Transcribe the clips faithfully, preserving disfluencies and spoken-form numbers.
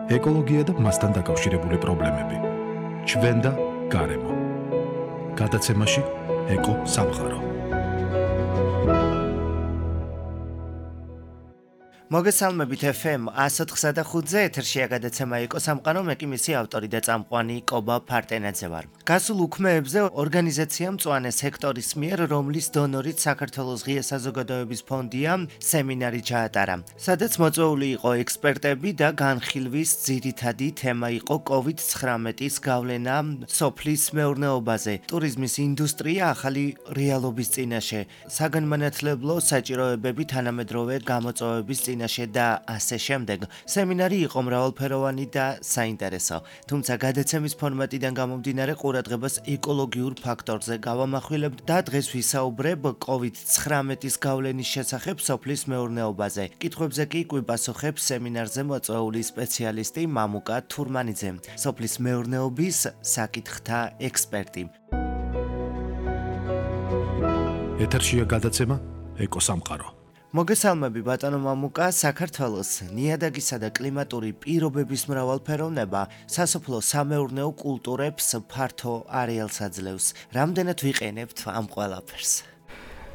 ეკოლოგია და მასთან დაკავშირებული პრობლემები. ჩვენ და გარემო. გადაცემაში ეკო სამყარო. მოგესალმებით ეფ ემ one oh four და ხუთზე ეთერშია გადაცემა ეკო სამყარო, მე კი მისი ავტორი და წამყვანი კობა ფარტენაძე ვარ. გასულ უქმეებზე ორგანიზაცია მწვანე სექტორის მიერ, რომლის დონორით საქართველოს ღია საზოგადოების ფონდია, სემინარი ჩაატარა, სადაც მოწვეული იყო ექსპერტები და განხილვის ძირითადი თემა იყო კოვიდ nineteen-ის გავლენა სოფლის მეურნეობაზე, ტურიზმის ინდუსტრია ახალი რეალობის წინაშე, საგანმანათლებლო საჭიროებები თანამედროვე გამოწვევების წინაშე და ასე შემდეგ. სემინარი იყო მრავალფეროვანი და საინტერესო, თუმცა გადაცემის ფორმატიდან გამომდინარე ყურადღებას ეკოლოგიურ ფაქტორზე გავამახვილებთ და დღეს ვისაუბრებ კოვიდ nineteen-ის გავლენის შესახებ სოფლის მეურნეობაზე. კითხვებზე კი გვიპასუხებს სემინარზე მოწვეული სპეციალისტი მამუკა თურმანიძე, სოფლის მეურნეობის საკითხთა ექსპერტი. ეთერშია გადაცემა ეკო სამყარო. მოგესალმები ბატონო მამუკა. საქართველოს ნიადაგისა და კლიმატური პირობების მრავალფეროვნება სასოფლო სამეურნეო კულტურებს ფართო არეალს აძლევს. რამდენად ვიყენებთ ამ ყველაფერს?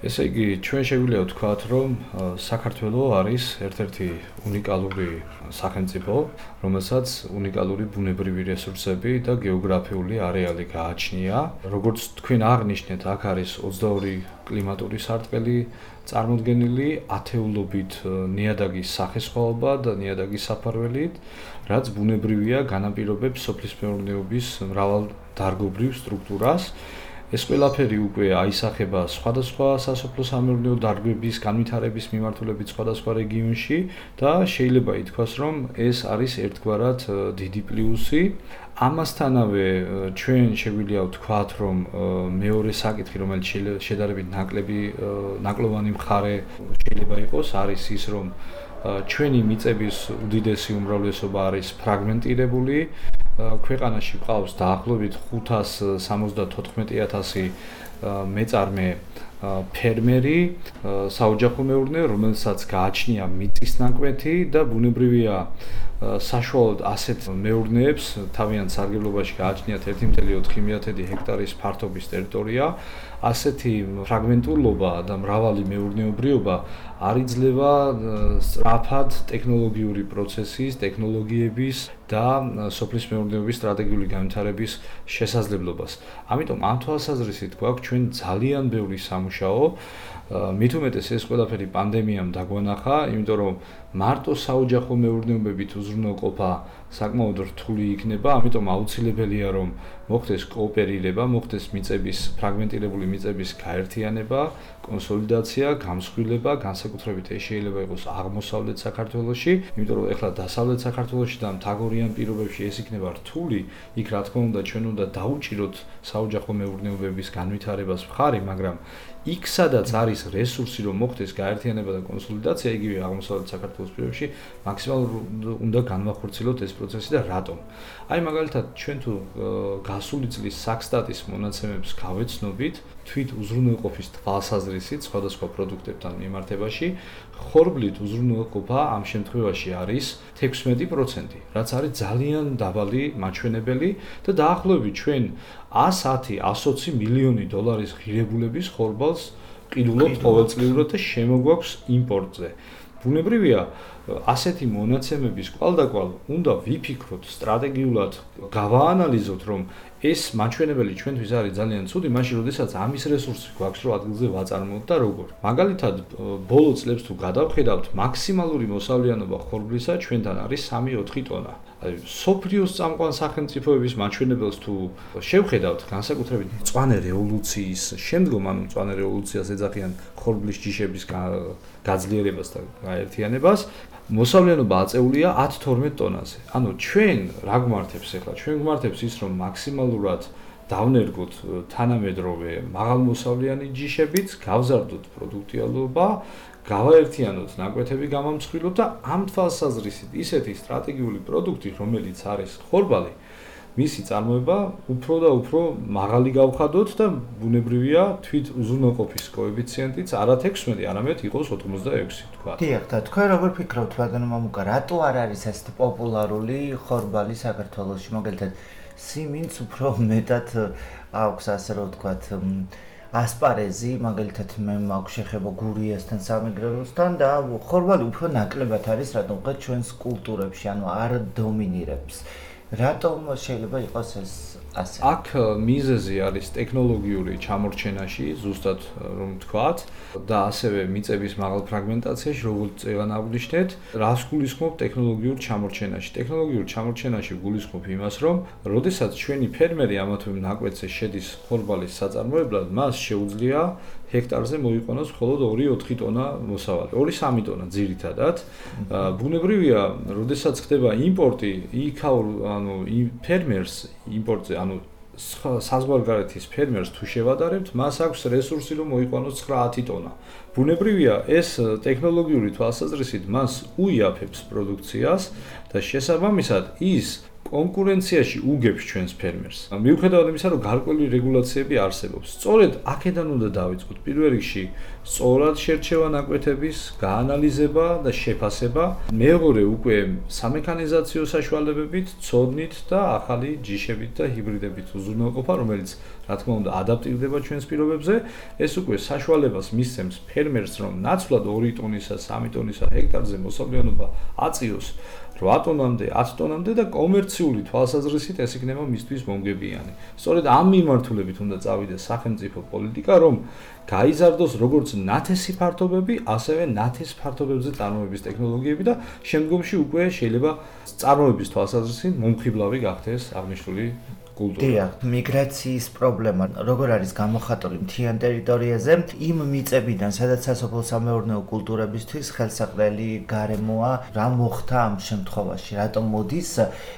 ესე იგი, ჩვენ შეგვიძლია ვთქვათ, რომ საქართველო არის ერთ-ერთი უნიკალური სახელმწიფო, რომელსაც უნიკალური ბუნებრივი რესურსები და გეოგრაფიული არეალი გააჩნია. როგორც თქვენ აღნიშნეთ, აქ არის ოცდაორი კლიმატური სარტყელი წარმოდგენილი, ათეულობით ნიადაგის სახესხვაობა და ნიადაგის საფარველით, რაც ბუნებრივია განაპირობებს სოფლის მეურნეობის მრავალდარგობრივ სტრუქტურას. ეს ყველაფერი უკვე აისახება სხვადასხვა სასოფლო სამეურნეო დარგების განვითარების მიმართულებით სხვადასხვა რეგიონში და შეიძლება ითქვას, რომ ეს არის ერთგვარად დიდი პლუსი. ამასთანავე ჩვენ შეგვიძლია ვთქვათ, რომ მეორე საკითხი, რომელიც შედარებით ნაკლები ნაკლოვანი მხარე შეიძლება იყოს, არის ის, რომ ჩვენი მიწების უდიდესი უმრავლესობა არის ფრაგმენტირებული. ქვეყანაში ყავს დაახლოებით ხუთას სამოცდათოთხმეტი ათასი მეწარმე ფერმერი, საოჯახო მეურნე, რომელსაც გააჩნია მიწის ნაკვეთი და ბუნებრივია საშუალოდ ასეთ მეურნეებს თავიანთ სარგებლობაში გააჩნიათ ერთი კoma ოთხი ჰექტარის ფართობის ტერიტორია. ასეთი ფრაგმენტულობა და მრავალი მეურნეობრიობა არ იძლევა სწრაფად ტექნოლოგიური პროცესის, ტექნოლოგიების და სოფლის მეურნეობის სტრატეგიული განვითარების შესაძლებლობას. ამიტომ ამ თვალსაზრისით გვაქვს ჩვენ ძალიან ბევრი სამუშაო. მით უმეტეს ეს ყველაფერი პანდემიამ დაგვანახა, იმიტომ რომ მარტო საოჯახო მეურნეობებით უზრუნველყოფა საკმაოდ რთული იქნება, ამიტომ აუცილებელია რომ მოხდეს კოოპერირება, მოხდეს მიწების ფრაგმენტირებული მიწების გაერთიანება, კონსოლიდაცია, გამსხვილება, განსაკუთრებით ეს შეიძლება იყოს აღმოსავლეთ საქართველოში, იმიტომ რომ ეხლა დასავლეთ საქართველოში და მთაგორიან პირობებში ეს იქნება რთული, იქ რა თქმა უნდა ჩვენ უნდა დაუჭიროთ საოჯახო მეურნეობების განვითარებას მხარი, მაგრამ იქ სადაც არის რესურსი რომ მოხდეს გაერთიანება და კონსოლიდაცია, იგივე აღმოსავლეთ საქართველოს პირობებში მაქსიმალურად უნდა განვახორციელოთ ეს პროცესი და რატომ? აი მაგალითად ჩვენ თუ გასული წლის საქსტატის მონაცემებს გავეცნობით, თვით უზრუნველყოფის თვალსაზრისით სხვადასხვა პროდუქტებთან მიმართებაში, ხორბლით უზრუნველყოფა ამ შემთხვევაში არის თექვსმეტი პროცენტი, რაც არის ძალიან დაბალი მაჩვენებელი და დაახლოებით ჩვენ one hundred ten, one hundred twenty მილიონი დოლარის ღირებულების ხორბალს ყიდულობთ ყოველწლიურად და შემოგვაქვს იმპორტზე. ბუნებრივია ასეთი მონაცემების კვალდაკვალ უნდა ვიფიქროთ სტრატეგიულად, გავაანალიზოთ, რომ ეს მაჩვენებელი ჩვენთვის არის ძალიან ცუდი, მაშინ როდესაც ამის რესურსი გვაქვს, რომ ადგილზე ვაწარმოოთ და როგორ. მაგალითად, ბოლო წლებს თუ გადავხედავთ, მაქსიმალური მოსავლიანობა ხორბლისა ჩვენთან არის სამი ოთხი ტონა. აი, სოფლიოს წამყვან სახელმწიფოების მაჩვენებელს თუ შევხედავთ, განსაკუთრებით მწვანე რევოლუციის შემდგომ, ანუ მწვანე რევოლუციას ეძახიან ხორბლის ჯიშების გაძლიერებას და გაერთიანებას, მოსავლიანობა აწეულია ათი თორმეტ ტონაზე. ანუ ჩვენ რა გვმართებს ახლა? ჩვენ გვმართებს ის, რომ მაქსიმალურად დავნერგოთ თანამედროვე მაღალმოსავლიანი ჯიშებით, გავზარდოთ პროდუქტიალობა, გავაერთიანოთ ნაკვეთები გამამსხვილოთ და ამ თვალსაზრისით ისეთი სტრატეგიული პროდუქტი, რომელიც არის ხორბალი, მისი წარმოება უფრო და უფრო მაღალი გავხადოთ და ბუნებრივია თვით უზრუნველყოფის კოეფიციენტიც არა თექვსმეტი, არამედ იყოს ოცდაექვსი თქვა. დიახ, და თქვენ როგორ ფიქრობთ, ბატონო მამუკა, რატო არ არის ესეთი პოპულარული ხორბალი საქართველოში, მაგალითად, სიმინდს უფრო მეტად აქვს, ასე რომ ვთქვათ, ასპარეზი, მაგალითად, მე მაქვს შეხება გურიასთან, სამეგრელოსთან და ხორბალი უფრო ნაკლებად არის, რატომ ვთქვათ, ჩვენს კულტურებში, ანუ არ დომინირებს. რატომ შეიძლება იყოს ეს ასე? აქ მიზეზი არის ტექნოლოგიური ჩამორჩენაში, ზუსტად რომ ვთქვათ, და ასევე მიწების მაღალ ფრაგმენტაციაში, როგორც წეგან აღვნიშნეთ, რას გულისხმობ ტექნოლოგიურ ჩამორჩენაში? ტექნოლოგიურ ჩამორჩენაში გულისხმობ იმას, რომ როდესაც ჩვენი ფერმერი ამა თუ იმ ნაკვეთზე შედის ხორბალის საწარმოებლად, მას შეუძლია ჰექტარზე მოიყენოს მხოლოდ ორი ოთხი ტონა მოსავალი, ორი სამი ტონა ძირითადად. ბუნებრივია, როდესაც ხდება იმპორტი, იქაურ ანუ ფერმერს იმპორტზე, ანუ საზღვარგარეთის ფერმერს თუ შევადარებთ, მას აქვს რესურსი, რომ მოიყენოს ცხრა ათი ტონა. ბუნებრივია, ეს ტექნოლოგიური თვალსაზრისით მას უიაფებს პროდუქციას და შესაბამისად ის კონკურენციაში უგებს ჩვენს ფერმერს. მიუხედავად იმისა, რომ გარკვეული რეგულაციები არსებობს. სწორედ აქედან უნდა დავიწყოთ. პირველ რიგში, სწორად შერჩევა ნაკვეთების, გაანალიზება და შეფასება. მეორე უკვე სამექანიზაციო საშუალებებით, ცოდნით და ახალი ჯიშებით და ჰიბრიდებით უზრუნველყოფა, რომელიც რა თქმა უნდა ადაპტირდება ჩვენს პირობებზე. ეს უკვე საშუალებას მისცემს ფერმერს, რომ ნაცვლად ორი ტონისა, სამი ტონისა ჰექტარზე მოსავლიანობა აწიოს რვა ტონამდე, ათი ტონამდე და კომერციული თვალსაზრისით ეს იქნება მისთვის მომგებიანი. სწორედ ამ მიმართულებით უნდა წავიდეს სახელმწიფო პოლიტიკა, რომ გაიზარდოს როგორც ნათესი ფართობები, ასევე ნათეს ფართობებზე წარმოების ტექნოლოგიები და შემდგომში უკვე შეიძლება წარმოების თვალსაზრისით მომხიბლავი გახდეს აღნიშნული კულტურა. დიახ, მიგრაციის პრობლემა როგორ არის გამოხატული მთიან ტერიტორიაზე, იმ მიწებიდან, სადაც სასოფლო-სამეურნეო კულტურებისთვის ხელსაყრელი გარემოა, რა მოხდა ამ შემთხვევაში, რატომ მოდის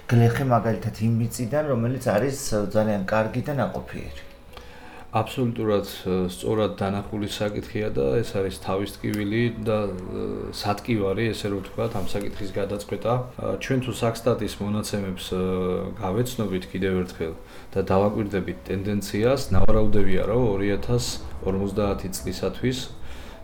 გლეხი მაგალითად იმ მიწიდან, რომელიც არის ძალიან კარგი და ნაყოფიერი? აბსოლუტურად სწორად დანახული საკითხია და ეს არის თავის ტკივილი და სატკივარი, ესე რომ ვთქვათ, ამ საკითხის გადაწყვეტა. ჩვენ თუ საქსტატის მონაცემებს გავეცნობით კიდევ ერთხელ და დავაკვირდებით ტენდენციას, ნავარაუდებია, რომ ორი ათას ორმოცდაათი წლისათვის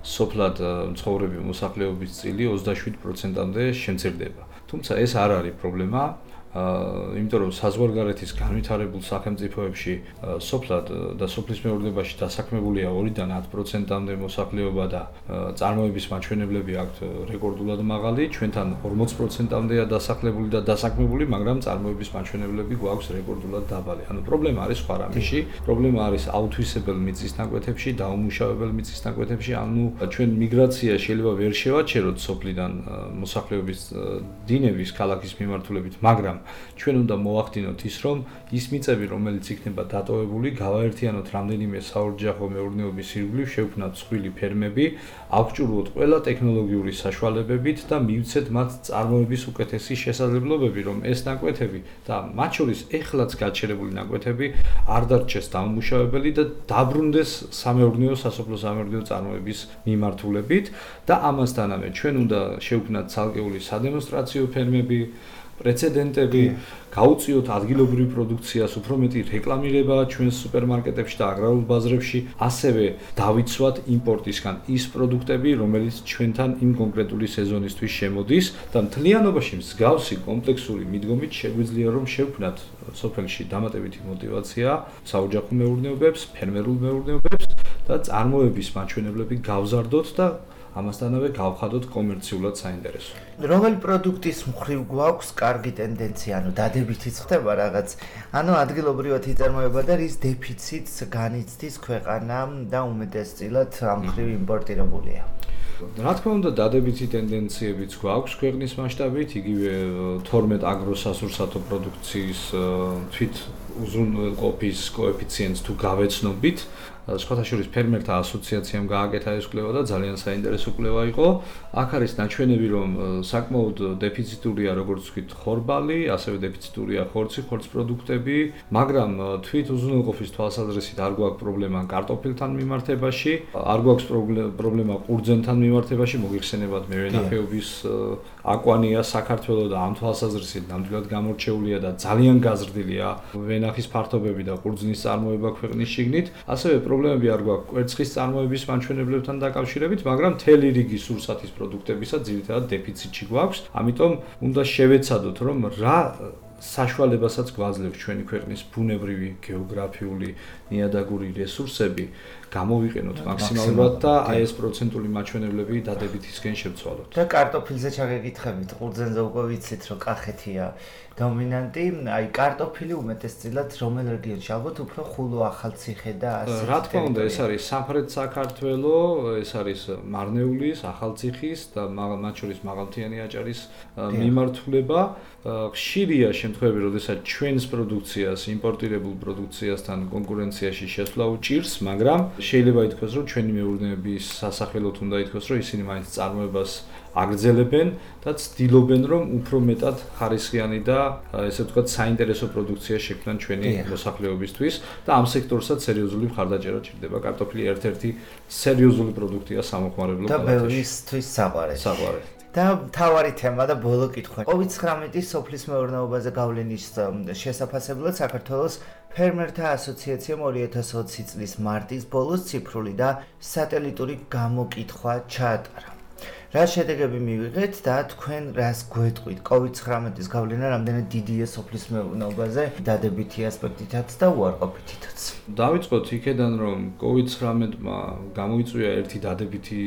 სოფლად მცხოვრები მოსახლეობის წილი ოცდაშვიდ პროცენტამდე შემცირდება. თუმცა ეს არ არის პრობლემა. იმიტომ რომ საზღვარგარეთის განვითარებულ სახელმწიფოებში სოფლად და სოფლის მეურნეობაში დასაქმებულია ორიდან ათ პროცენტამდე მოსახლეობა და წარმოების მაჩვენებლები აქვთ რეკორდულად მაღალი, ჩვენთან ორმოც პროცენტამდეა დასახლებული და დასაქმებული, მაგრამ წარმოების მაჩვენებლები გვაქვს რეკორდულად დაბალი. ანუ პრობლემა არის სხვა რამეში, პრობლემა არის აუთვისებელ მიწის ნაკვეთებში, დაუმუშავებელ მიწის ნაკვეთებში, ანუ ჩვენ მიგრაცია შეიძლება ვერ შევაჩეროთ სოფლიდან მოსახლეობის დინების ქალაქის მიმართულებით, მაგრამ ჩვენ უნდა მოახდინოთ ის, რომ ის მიწები, რომელიც იქნება დატოვებული, გავაერთიანოთ რამდენიმე საოჯახო მეურნეობის ირგვლივ, შევქმნათ მსხვილი ფერმები, აღჭურვოთ ყველა ტექნოლოგიური საშუალებებით და მივცეთ მათ წარმოების უკეთესი შესაძლებლობები, რომ ეს ნაკვეთები და მათ შორის ეხლაც გაჩერებული ნაკვეთები არ დარჩეს დაუმუშავებელი და დაბრუნდეს სამეურნეო სასოფლო-სამეურნეო წარმოების მიმართულებით და ამასთანავე ჩვენ უნდა შევქმნათ ცალკეული სადემონსტრაციო ფერმები, პრეცედენტები, გაუწიოთ ადგილობრივ პროდუქციას, უფრო მეტი რეკლამირება ჩვენს სუპერმარკეტებში და აგრარულ ბაზრებში, ასევე დავიცვათ იმპორტისგან ის პროდუქტები, რომელიც ჩვენთან იმ კონკრეტული სეზონისთვის შემოდის და მთლიანობაში მსგავსი კომპლექსური მიდგომით შეგვიძლია რომ შევქმნათ სოფელში დამატებითი мотиваცია საოჯახო მეურნეობებს, ფერმერულ მეურნეობებს და წარმოების მაჩვენებლები გავზარდოთ და ამასთანავე გავხადოთ კომერციულად საინტერესო. რომელი პროდუქტის მხრივ გვაქვს კარგი ტენდენცია, ანუ დადებითიც ხდება რაღაც, ანუ ადგილობრივად იწარმოება და რის დეფიციტს განიცდის ქვეყანა და უმეტესწილად ამ მხრივ იმპორტირებულია. რა თქმა უნდა, დადებითი ტენდენციებიც გვაქვს ქვეყნის მასშტაბით, იგივე თორმეტ აგროსასურსათო პროდუქციის თვით უზრუნველყოფის კოეფიციენტს თუ გავეცნობით, სხვათა შორის ფერმერთა ასოციაციამ გააკეთა ეს კვლევა და ძალიან საინტერესო კვლევა იყო. აქ არის ნაჩვენები, რომ საკმაოდ დეფიციტურია როგორც ვთქვით ხორბალი, ასევე დეფიციტურია ხორცი, ხორცის პროდუქტები, მაგრამ თვით უზრუნველყოფის თვალსაზრისით არ გვაქვს პრობლემა კარტოფილთან მიმართებაში, არ გვაქვს პრობლემა ყურძენთან მიმართებაში, მოგიხსენებათ მევენახეობის აკვანია საქართველოს და ამ თვალსაზრისით ნამდვილად გამორჩეულია და ძალიან გაზრდილია ვენახის ფართობები და ყურძნის წარმოება ქვეყნის შიგნით. ასევე პრობლემები არ გვაქვს კვერცხის წარმოების მაჩვენებლებთან დაკავშირებით, მაგრამ მთელი რიგი სურსათის პროდუქტებისა ძირითადად დეფიციტში გვაქვს. ამიტომ უნდა შევეცადოთ, რომ რა საშუალებასაც გვაძლევს ჩვენი ქვეყნის ბუნებრივი, გეოგრაფიული, ნიადაგური რესურსები გამოვიყენოთ მაქსიმალურად და აი ეს პროცენტული მაჩვენებლები დადებითისკენ შევცვალოთ. და კარტოფილზე ჩაგეკითხებით, ყურძენზე უკვე ვიცით, რომ კახეთია დომინანტი, აი კარტოფილი უმეტესწილად რომელ რეგიონში? ალბათ უფრო ხულო, ახალციხე და ასე. რა თქმა უნდა, ეს არის სამხრეთ საქართველო, ეს არის მარნეულის, ახალციხის და მათ შორის მაღალმთიანი აჭარის მიმართულება. ხშირია შემთხვევები, როდესაც ჩვენს პროდუქციას იმპორტირებულ პროდუქციასთან კონკურენციაში შესვლა უჭირს, მაგრამ შეიძლება ითქვას, რომ ჩვენი მეურნეობის სასახელოდ უნდა ითქვას, რომ ისინი მაინც წარმოებას აგრძელებენ და ცდილობენ, რომ უფრო მეტად ხარისხიანი და ესე ვთქვათ, საინტერესო პროდუქცია შექმნან ჩვენი მოსახლეობისთვის და ამ სექტორსაც სერიოზული მხარდაჭერა ჭირდება. კარტოფილი ერთ-ერთი სერიოზული პროდუქტია სამოხმარებლო კალათაში. და ბევრისთვის საყვარელი. საყვარელი. და თავარი თემა და ბოლო კითხვა. კოვიდ ცხრამეტი სოფლის მეურნეობაზე გავლენის შესაფასებლად საქართველოს ფერმერთა ასოციაციამ ორი ათას ოცი წლის მარტის ბოლოს ციფრული და სატელიტური გამოკითხვა ჩაატარა. რა შედეგები მივიღეთ და თქვენ რას გვეტყვით? კოვიდ ცხრამეტის გავლენა რამდენად დიდია სოფლის მეურნეობაზე დადებითი ასპექტითაც და უარყოფითითაც. დავიწყოთ იქედან, რომ კოვიდ ცხრამეტმა გამოიწვია ერთი დადებითი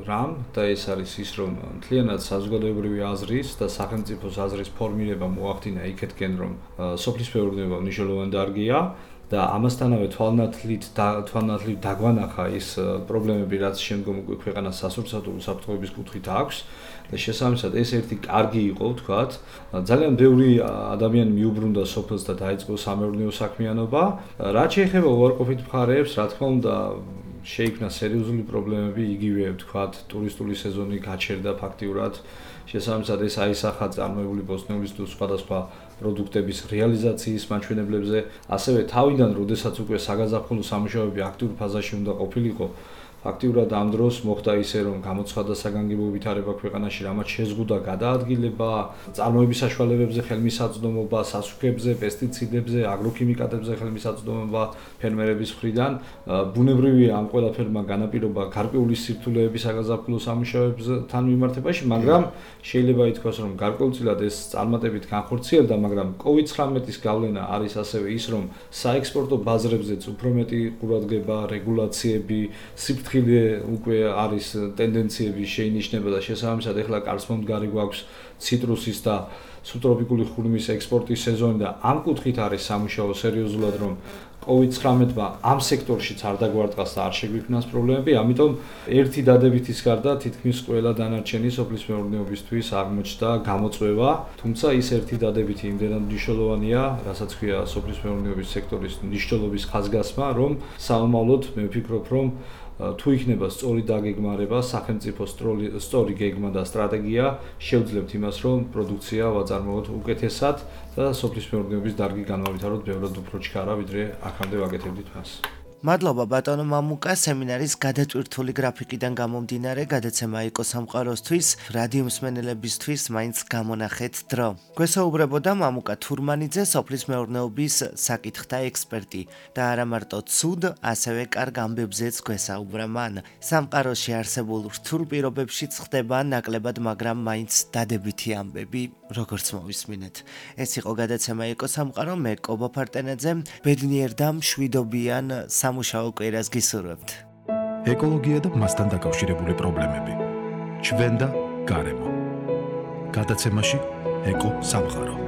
რამ და ეს არის ის, რომ მთლიანად საზოგადოებრივი აზრის და სახელმწიფოს აზრის ფორმირება მოახდინა იქეთკენ, რომ სოფლის მეურნეობა მნიშვნელოვანი დარგია. და ამასთანავე თვალნათლით თვალნათლით დაგვანახა ის პრობლემები, რაც შემდგომ უკვე ქვეყანას სასურსათო უსაფრთხოების კუთხით აქვს და შესაბამისად ეს ერთი კარგი იყო, ვთქვათ. ძალიან ბევრი ადამიანი მიუბრუნდა სოფელს და დაიწყო სამეურნეო საქმიანობა. რაც შეეხება უარყოფით მხარეებს, რა თქმა უნდა, შეიქმნა სერიოზული პრობლემები, იგივე ვთქვათ, ტურისტული სეზონი გაჩერდა ფაქტიურად. შესაბამისად ეს აისახა წარმოებული ბოსტნეულის თუ სხვადასხვა პროდუქტების რეალიზაციის მაჩვენებლებზე, ასევე თავიდან, როდესაც უკვე საგაზაფხულო სამუშაოები აქტიურ ფაზაში უნდა ყოფილიყო, ფაქტიურად ამ დროს მოხდა ისე, რომ გამოცხადა საგანგებო ვითარება ქვეყანაში, რამაც შეზღუდა გადაადგილება, წარმოების საშუალებებზე ხელმისაწვდომობა, სასუქებზე, პესტიციდებზე, აგროქიმიკატებზე ხელმისაწვდომობა ფერმერების მხრიდან. ბუნებრივია ამ ყველაფერმა განაპირობა გარკვეული სირთულეები საგაზაფხულო სამუშაოებთან მიმართებაში, მაგრამ შეიძლება ითქვას, რომ გარკვეულწილად ეს წარმატებით განხორციელდა, მაგრამ კოვიდ ცხრამეტის გავლენა არის ასევე ის, რომ საექსპორტო ბაზრებზეც უფრო მეტი ყურადღება, რეგულაციები, სიფრთხილე უკვე არის ტენდენციები შეინიშნება და შესაბამისად ეხლა კარსმომდგარი გვაქვს ციტრუსის და სუბტროპიკული ხურმის ექსპორტის სეზონი და ამ კუთხით არის სამუშაო სერიოზულად, რომ კოვიდ ცხრამეტმა ამ სექტორშიც არ დაგვარტყას და არ შეგვიქმნას პრობლემები, ამიტომ ერთი დადებითის გარდა თითქმის ყველა დანარჩენი სოფლის მეურნეობისთვის აღმოჩნდა გამოწვევა, თუმცა ის ერთი დადებითი იმდენად მნიშვნელოვანია, რასაც ქვია სოფლის მეურნეობის სექტორის მნიშვნელობის ხაზგასმა, რომ საომავლოდ მე ვფიქრობ, რომ თუ იქნება სწორი დაგეგმარება, სახელმწიფო სწორი გეგმა და სტრატეგია, შევძლებთ იმას, რომ პროდუქცია ვაწარმოოთ უკეთესად და სოფლის მეურნეობის დარგი განავითაროთ ბევრად უფრო ჩქარა, ვიდრე აქამდე ვაკეთებდით მას. მადლობა ბატონო მამუკა, სემინარის გადატვირთული გრაფიკიდან გამომდინარე გადაცემა იყო სამყაროსთვის, რადიო მსმენელებისთვის მაინც გამონახეთ დრო. გვესაუბრებოდა მამუკა თურმანიძე, სოფლის მეურნეობის საკითხთა ექსპერტი და არა მარტო ცუდ, ასევე კარგ ამბებზეც გვესაუბრა მან. სამყაროში არსებულ რთულ პირობებშიც ხდება ნაკლებად, მაგრამ მაინც დადებითი ამბები, როგორც მოვისმინეთ. ეს იყო გადაცემა იყო სამყარო, მე კობა ფარტენაძე, ბედნიერ და მშვიდობიან სამუშაო კვირას გისურვებთ. ეკოლოგია და მასთან დაკავშირებული პრობლემები. ჩვენ და გარემო. გადაცემაში ეკო სამყარო.